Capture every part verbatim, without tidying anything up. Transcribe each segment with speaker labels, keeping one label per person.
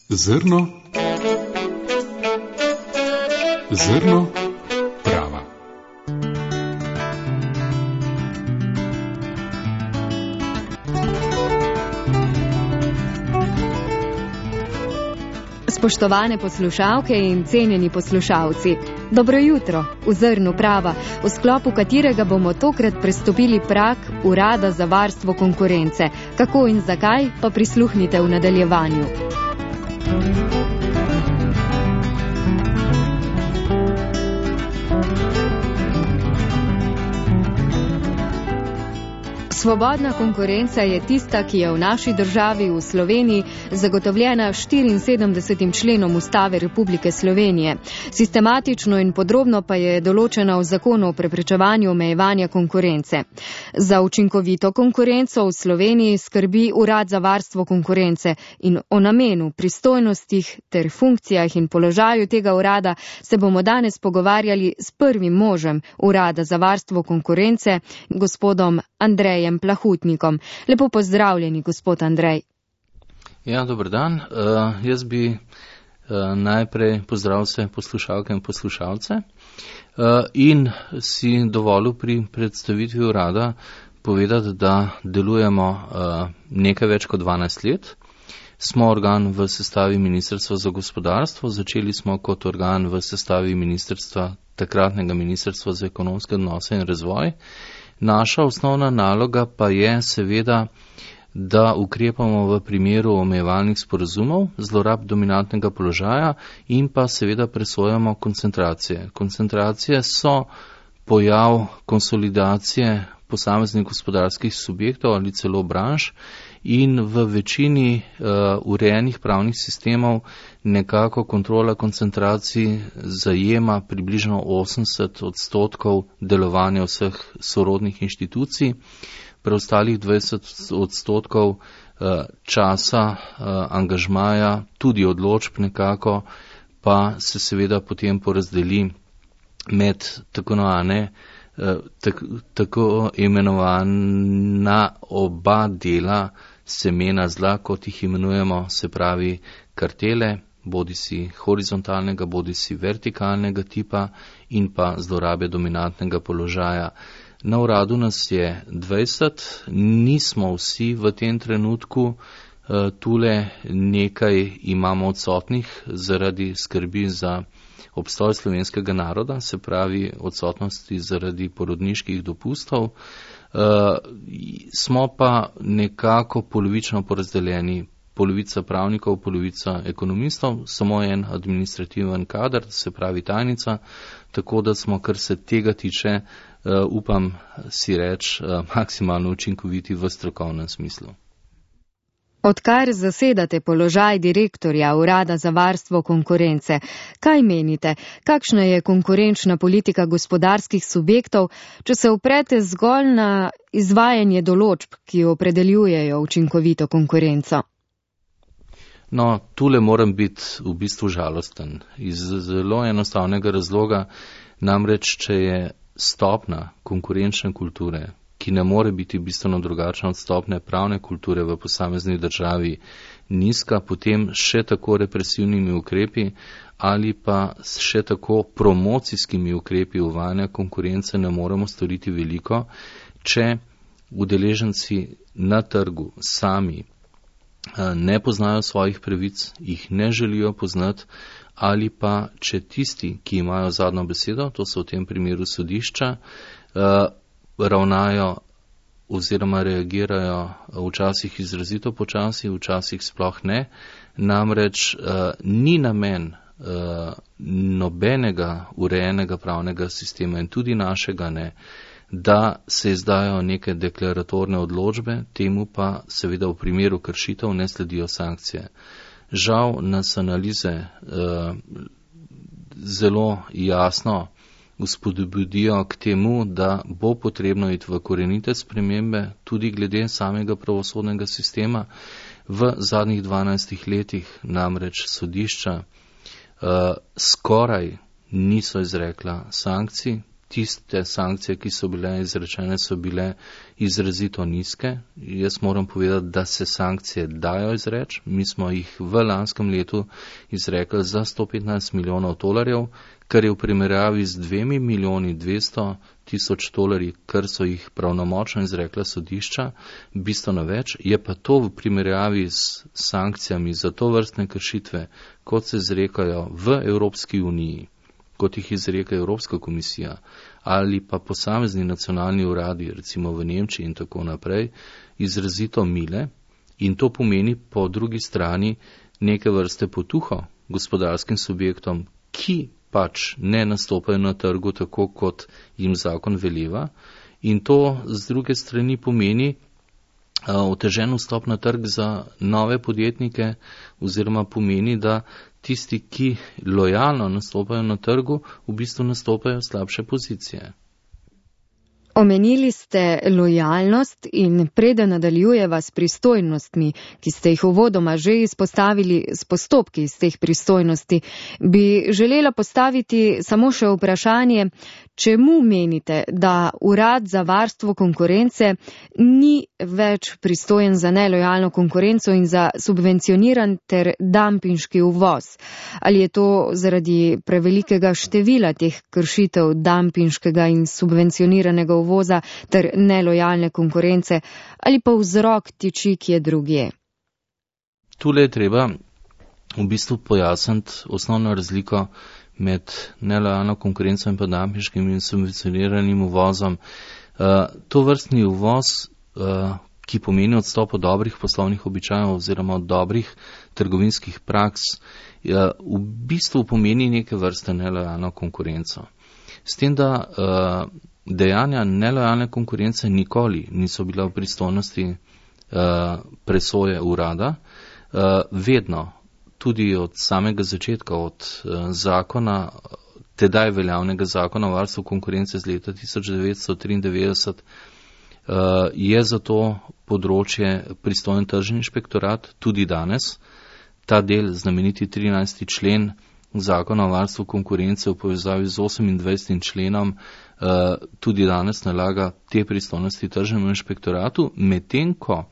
Speaker 1: Zrno, zrno prava.
Speaker 2: Spoštovane poslušalke in cenjeni poslušalci, dobro jutro v Zrnu prava, v sklopu katerega bomo tokrat prestopili prag Urada za varstvo konkurence. Kako in zakaj, pa prisluhnite v nadaljevanju. Svobodna konkurenca je tista, ki je v naši državi, v Sloveniji, zagotovljena štiriinsedemdesetim členom Ustave Republike Slovenije. Sistematično in podrobno pa je določena v zakonu o preprečevanju omejevanja konkurence. Za učinkovito konkurenco v Sloveniji skrbi Urad za varstvo konkurence in o namenu, pristojnostih ter funkcijah in položaju tega urada se bomo danes pogovarjali s prvim možem Urada za varstvo konkurence, gospodom Andrejem Plahutnikom. Lepo pozdravljeni, gospod Andrej.
Speaker 3: Ja, dober dan. Uh, jaz bi uh, najprej pozdravil vse poslušalke in poslušalce uh, in si dovolil pri predstavitvi urada povedati, da delujemo uh, nekaj več kot dvanajst let. Smo organ v sestavi Ministrstva za gospodarstvo, začeli smo kot organ v sestavi ministrstva, takratnega Ministrstva za ekonomske odnose in razvoj. Naša osnovna naloga pa je seveda, da ukrepamo v primeru omejevalnih sporazumov, zlorab dominantnega položaja in pa seveda presojamo koncentracije. Koncentracije so pojav konsolidacije posameznih gospodarskih subjektov ali celo branž in v večini uh, urejenih pravnih sistemov nekako kontrola koncentracij zajema približno osemdeset odstotkov delovanja vseh sorodnih inštitucij, preostalih dvajset odstotkov uh, časa uh, angažmaja, tudi odločb nekako, pa se seveda potem porazdeli med tako imenovane Tako, tako imenovana oba dela semena zla, kot jih imenujemo, se pravi kartele, bodi si horizontalnega, bodi si vertikalnega tipa in pa zlorabe dominantnega položaja. Na uradu nas je dvajset, nismo vsi v tem trenutku, tule nekaj imamo odsotnih zaradi skrbi za obstoj slovenskega naroda, se pravi odsotnosti zaradi porodniških dopustov. Uh, smo pa nekako polovično porazdeljeni, polovica pravnikov, polovica ekonomistov, samo en administrativen kader, se pravi tajnica, tako da smo, kar se tega tiče, uh, upam si reči, uh, maksimalno učinkoviti v strokovnem smislu.
Speaker 2: Odkar zasedate položaj direktorja Urada za varstvo konkurence, kaj menite, kakšna je konkurenčna politika gospodarskih subjektov, če se oprete zgolj na izvajanje določb, ki opredeljujejo učinkovito konkurenco?
Speaker 3: No, tule moram biti v bistvu žalosten. Iz zelo enostavnega razloga, namreč, če je stopna konkurenčne kulture, ki ne more biti bistveno drugačna od stopne pravne kulture v posamezni državi, nizka, potem še tako represivnimi ukrepi ali pa še tako promocijskimi ukrepi uvajanja konkurence ne moremo storiti veliko, če udeleženci na trgu sami ne poznajo svojih pravic, jih ne želijo poznati, ali pa če tisti, ki imajo zadnjo besedo, to so v tem primeru sodišča, ravnajo oziroma reagirajo včasih izrazito počasi, včasih sploh ne. Namreč uh, ni namen uh, nobenega urejenega pravnega sistema in tudi našega ne, da se izdajo neke deklaratorne odločbe, temu pa seveda v primeru kršitev ne sledijo sankcije. Žal nas analize uh, zelo jasno vzpodbudijo k temu, da bo potrebno iti v korenite spremembe tudi glede samega pravosodnega sistema. V zadnjih dvanajstih letih namreč sodišča uh, skoraj niso izrekla sankcij, tiste sankcije, ki so bile izrečene, so bile izrazito nizke. Jaz moram povedati, da se sankcije dajo izreči. Mi smo jih v lanskem letu izrekli za sto petnajst milijonov tolarjev, kar je v primerjavi z dvemi milijoni dvesto tisoč tolarji, kar so jih pravnomočno izrekla sodišča, bistveno več. Je pa to v primerjavi s sankcijami za to vrstne kršitve, kot se izrekajo v Evropski uniji, kot jih izreka Evropska komisija ali pa posamezni nacionalni uradi, recimo v Nemčiji in tako naprej, izrazito mile, in to pomeni po drugi strani neke vrste potuho gospodarskim subjektom, ki pač ne nastopajo na trgu tako, kot jim zakon veleva, in to z druge strani pomeni otežen vstop na trg za nove podjetnike, oziroma pomeni, da tisti, ki lojalno nastopajo na trgu, v bistvu nastopajo slabše pozicije.
Speaker 2: Omenili ste lojalnost in preden nadaljujeva s pristojnostmi, ki ste jih uvodoma že izpostavili s postopki iz teh pristojnosti, bi želela postaviti samo še vprašanje, čemu menite, da Urad za varstvo konkurence ni več pristojen za nelojalno konkurenco in za subvencioniran ter dampinški uvoz? Ali je to zaradi prevelikega števila teh kršitev dampinškega in subvencioniranega uvoza ter nelojalne konkurence, ali pa vzrok tiči kje drugje?
Speaker 3: Tule je treba v bistvu pojasniti osnovno razliko med nelojalno konkurenco in pa dampinškim in subvencioniranim uvozom. Uh, to vrstni uvoz, uh, ki pomeni odstop od dobrih poslovnih običajev oziroma od dobrih trgovinskih praks, uh, v bistvu pomeni neke vrste nelojalno konkurenco. S tem, da uh, dejanja nelojalne konkurence nikoli niso bila v pristojnosti uh, presoje urada, uh, vedno, tudi od samega začetka, od uh, zakona, tedaj veljavnega zakona o varstvu konkurence z leta tisoč devetsto triindevetdeset, uh, je za to področje pristojen tržni inšpektorat, tudi danes. Ta del, znameniti trinajsti člen zakona o varstvu konkurence v povezavi z osemindvajsetim členom, uh, tudi danes nalaga te pristojnosti tržnemu inšpektoratu, medtem ko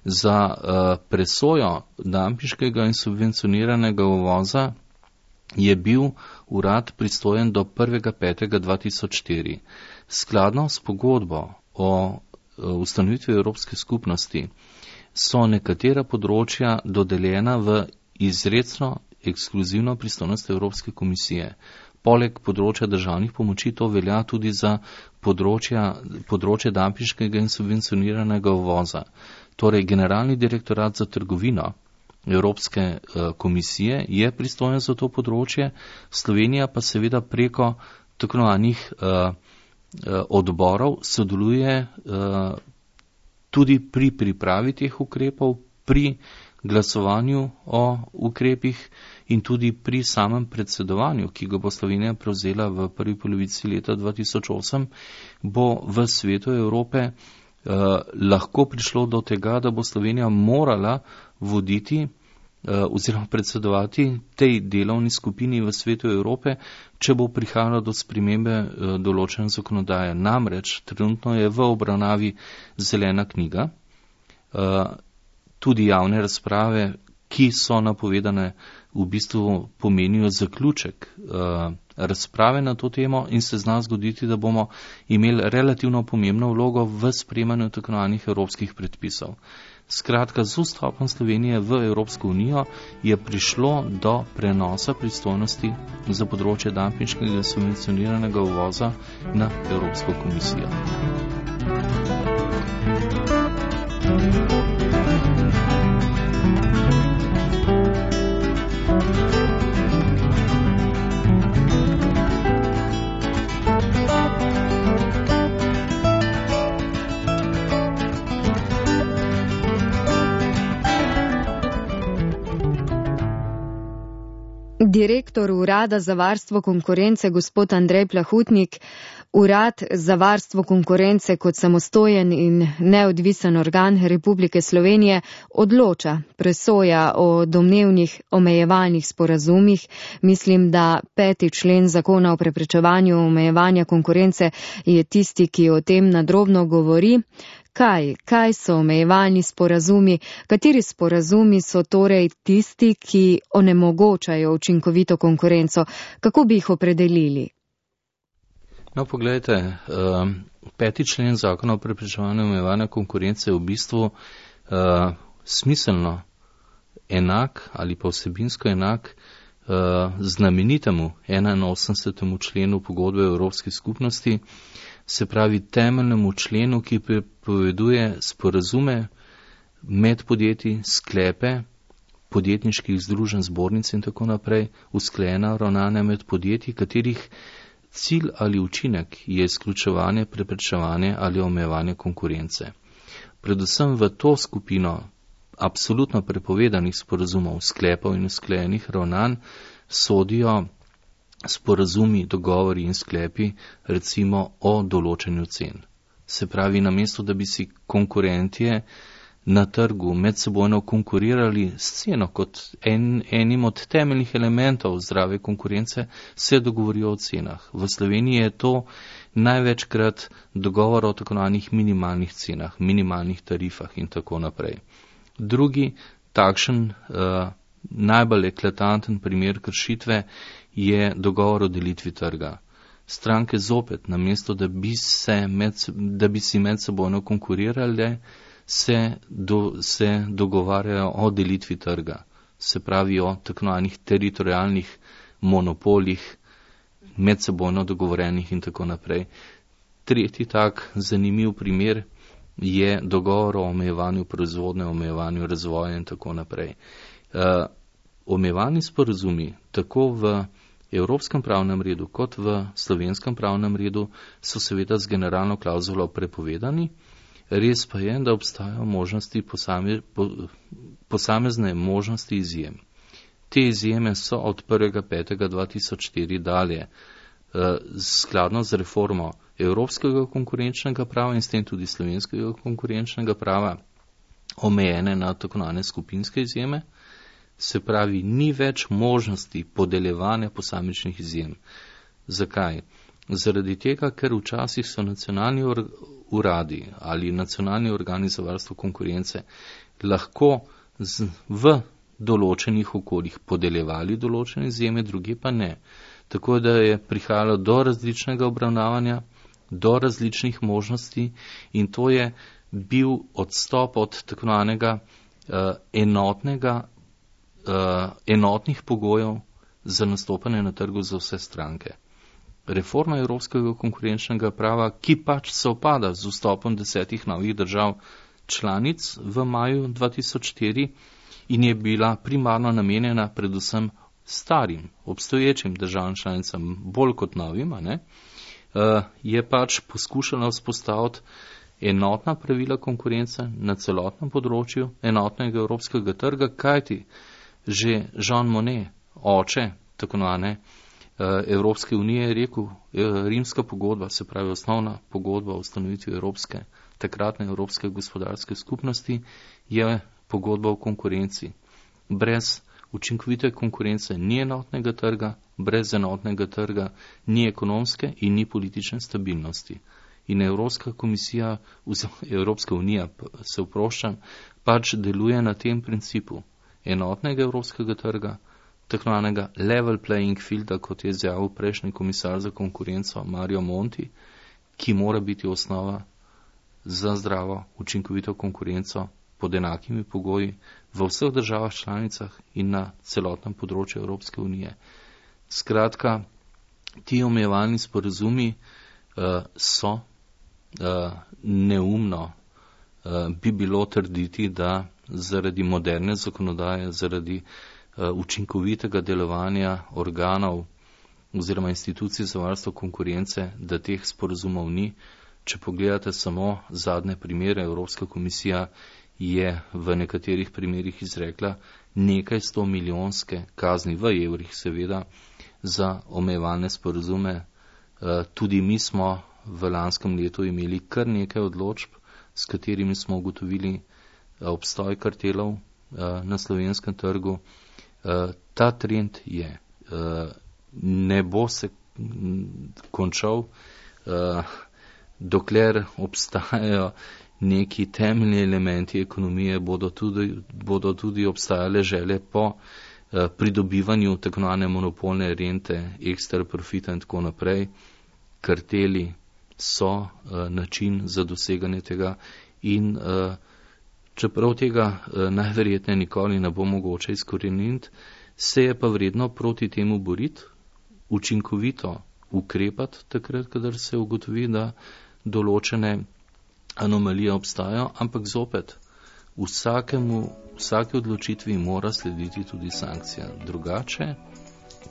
Speaker 3: za uh, presojo dampinškega in subvencioniranega uvoza je bil urad pristojen do prvega petega dva tisoč štiri. Skladno s pogodbo o uh, ustanovitvi Evropske skupnosti so nekatera področja dodeljena v izrecno ekskluzivno pristojnost Evropske komisije. Poleg področja državnih pomoči to velja tudi za področja, področje dampinškega in subvencioniranega uvoza. Torej, Generalni direktorat za trgovino Evropske uh, komisije je pristojen za to področje, Slovenija pa seveda preko tako imenovanih uh, uh, odborov sodeluje uh, tudi pri pripravi teh ukrepov, pri glasovanju o ukrepih in tudi pri samem predsedovanju, ki ga bo Slovenija prevzela v prvi polovici leta dva tisoč osem, bo v svetu Evrope Uh, lahko prišlo do tega, da bo Slovenija morala voditi uh, oziroma predsedovati tej delovni skupini v svetu Evrope, če bo prihajalo do spremembe uh, določene zakonodaje. Namreč trenutno je v obravnavi zelena knjiga, uh, tudi javne razprave, ki so napovedane, v bistvu pomenijo zaključek uh, razprave na to temo in se zna zgoditi, da bomo imeli relativno pomembno vlogo v sprejemanju tako imenovanih evropskih predpisov. Skratka, z vstopom Slovenije v Evropsko unijo je prišlo do prenosa pristojnosti za področje dampinškega in subvencioniranega uvoza na Evropsko komisijo.
Speaker 2: Direktor Urada za varstvo konkurence, gospod Andrej Plahutnik, Urad za varstvo konkurence kot samostojen in neodvisen organ Republike Slovenije odloča, presoja o domnevnih omejevalnih sporazumih. Mislim, da peti člen zakona o preprečevanju omejevanja konkurence je tisti, ki o tem nadrobno govori. Kaj, kaj so omejevalni sporazumi? Kateri sporazumi so torej tisti, ki onemogočajo učinkovito konkurenco? Kako bi jih opredelili?
Speaker 3: No, pogledajte, peti člen zakona o preprečevanju omejevanja konkurence je v bistvu uh, smiselno enak ali pa vsebinsko enak uh, znamenitemu enainosemdesetemu členu pogodbe Evropske skupnosti, se pravi temeljnemu členu, ki prepoveduje sporazume med podjetji, sklepe, podjetniških združenj, zbornic in tako naprej, usklajena ravnanja med podjetji, katerih cilj ali učinek je izključevanje, preprečevanje ali omejevanje konkurence. Predvsem v to skupino absolutno prepovedanih sporazumov, sklepov in usklajenih ravnanj sodijo sporazumi, dogovori in sklepi, recimo o določenju cen. Se pravi, namesto da bi si konkurentje na trgu medsebojno konkurirali s ceno kot en, enim od temeljnih elementov zdrave konkurence, se dogovorijo o cenah. V Sloveniji je to največkrat dogovor o tako zvanih minimalnih cenah, minimalnih tarifah in tako naprej. Drugi takšen uh, najbolj eklatanten primer kršitve je dogovor o delitvi trga. Stranke zopet, namesto da bi, se med, da bi si medsebojno konkurirali, se, do, se dogovarjajo o delitvi trga, se pravi o tako zvanih teritorijalnih monopolih, medsebojno dogovorenih in tako naprej. Tretji tak zanimiv primer je dogovor o omejevanju proizvodnje, omejevanju razvoja in tako naprej. Uh, Omejevalni sporazumi tako v evropskem pravnem redu kot v slovenskem pravnem redu so seveda z generalno klauzulo prepovedani. Res pa je, da obstajajo možnosti posame, po, posamezne možnosti izjem. Te izjeme so od prvega petega dva tisoč štiri dalje eh, skladno z reformo evropskega konkurenčnega prava in s tem tudi slovenskega konkurenčnega prava omejene na tako zvane skupinske izjeme. Se pravi, ni več možnosti podeljevanja posamičnih izjem. Zakaj? Zaradi tega, ker včasih so nacionalni uradi ali nacionalni organi za varstvo konkurence lahko z, v določenih okoljih podeljevali določene izjeme, drugi pa ne. Tako da je prihajalo do različnega obravnavanja, do različnih možnosti in to je bil odstop od tako zvanega uh, enotnega Uh, enotnih pogojev za nastopanje na trgu za vse stranke. Reforma evropskega konkurenčnega prava, ki pač se opada z vstopom desetih novih držav članic v maju dva tisoč štiri in je bila primarno namenjena predvsem starim, obstoječim državam članicam, bolj kot novim, ne, uh, je pač poskušala vzpostaviti enotna pravila konkurence na celotnem področju enotnega evropskega trga, kajti že Jean Monnet, oče tako zvane Evropske unije, je rekel, rimska pogodba, se pravi osnovna pogodba o ustanovitvi Evropske, takratne Evropske gospodarske skupnosti, je pogodba o konkurenci. Brez učinkovite konkurence ni enotnega trga, brez enotnega trga ni ekonomske in ni politične stabilnosti. In Evropska komisija, Evropska unija, se oproščam, pač deluje na tem principu enotnega evropskega trga, tako zvanega level playing fielda, kot je izjavil prejšnji komisar za konkurenco Mario Monti, ki mora biti osnova za zdravo, učinkovito konkurenco pod enakimi pogoji v vseh državah članicah in na celotnem področju Evropske unije. Skratka, ti omejevalni sporazumi uh, so uh, neumno uh, bi bilo trditi, da zaradi moderne zakonodaje, zaradi uh, učinkovitega delovanja organov oziroma institucij za varstvo konkurence, da teh sporazumov ni. Če pogledate samo zadnje primere, Evropska komisija je v nekaterih primerih izrekla nekaj sto milijonske kazni v evrih, seveda, za omejevalne sporazume Tudi mi smo v lanskem letu imeli kar nekaj odločb, s katerimi smo ugotovili obstoj kartelov na slovenskem trgu. Ta trend je. Ne bo se končal, dokler obstajajo neki temeljni elementi ekonomije, bodo tudi, bodo tudi obstajale želje po pridobivanju tako imenovane monopolne rente, ekstra profita in tako naprej. Karteli so način za doseganje tega in čeprav tega najverjetneje nikoli ne bo mogoče izkoreniniti, se je pa vredno proti temu boriti, učinkovito ukrepati takrat, kadar se ugotovi, da določene anomalije obstajajo, ampak zopet vsakemu, vsake odločitvi mora slediti tudi sankcija. Drugače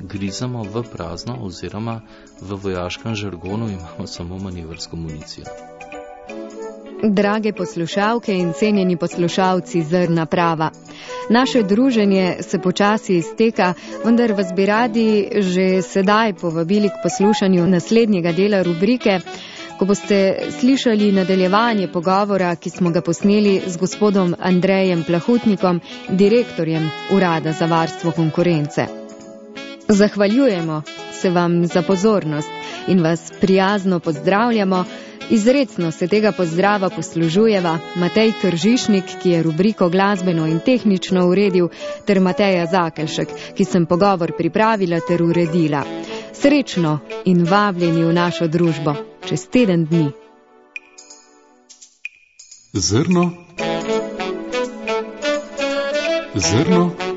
Speaker 3: grizamo v prazno oziroma v vojaškem žargonu imamo samo manevrsko municijo.
Speaker 2: Drage poslušalke in cenjeni poslušalci Zrna prava. Naše druženje se počasi izteka, vendar vas bi radi že sedaj povabili k poslušanju naslednjega dela rubrike, ko boste slišali nadaljevanje pogovora, ki smo ga posneli z gospodom Andrejem Plahutnikom, direktorjem Urada za varstvo konkurence. Zahvaljujemo se vam za pozornost in vas prijazno pozdravljamo. Izrecno se tega pozdrava poslužujeva Matej Kržišnik, ki je rubriko glasbeno in tehnično uredil, ter Mateja Zakelšek, ki sem pogovor pripravila ter uredila. Srečno in vabljeni v našo družbo čez teden dni.
Speaker 1: Zrno. Zrno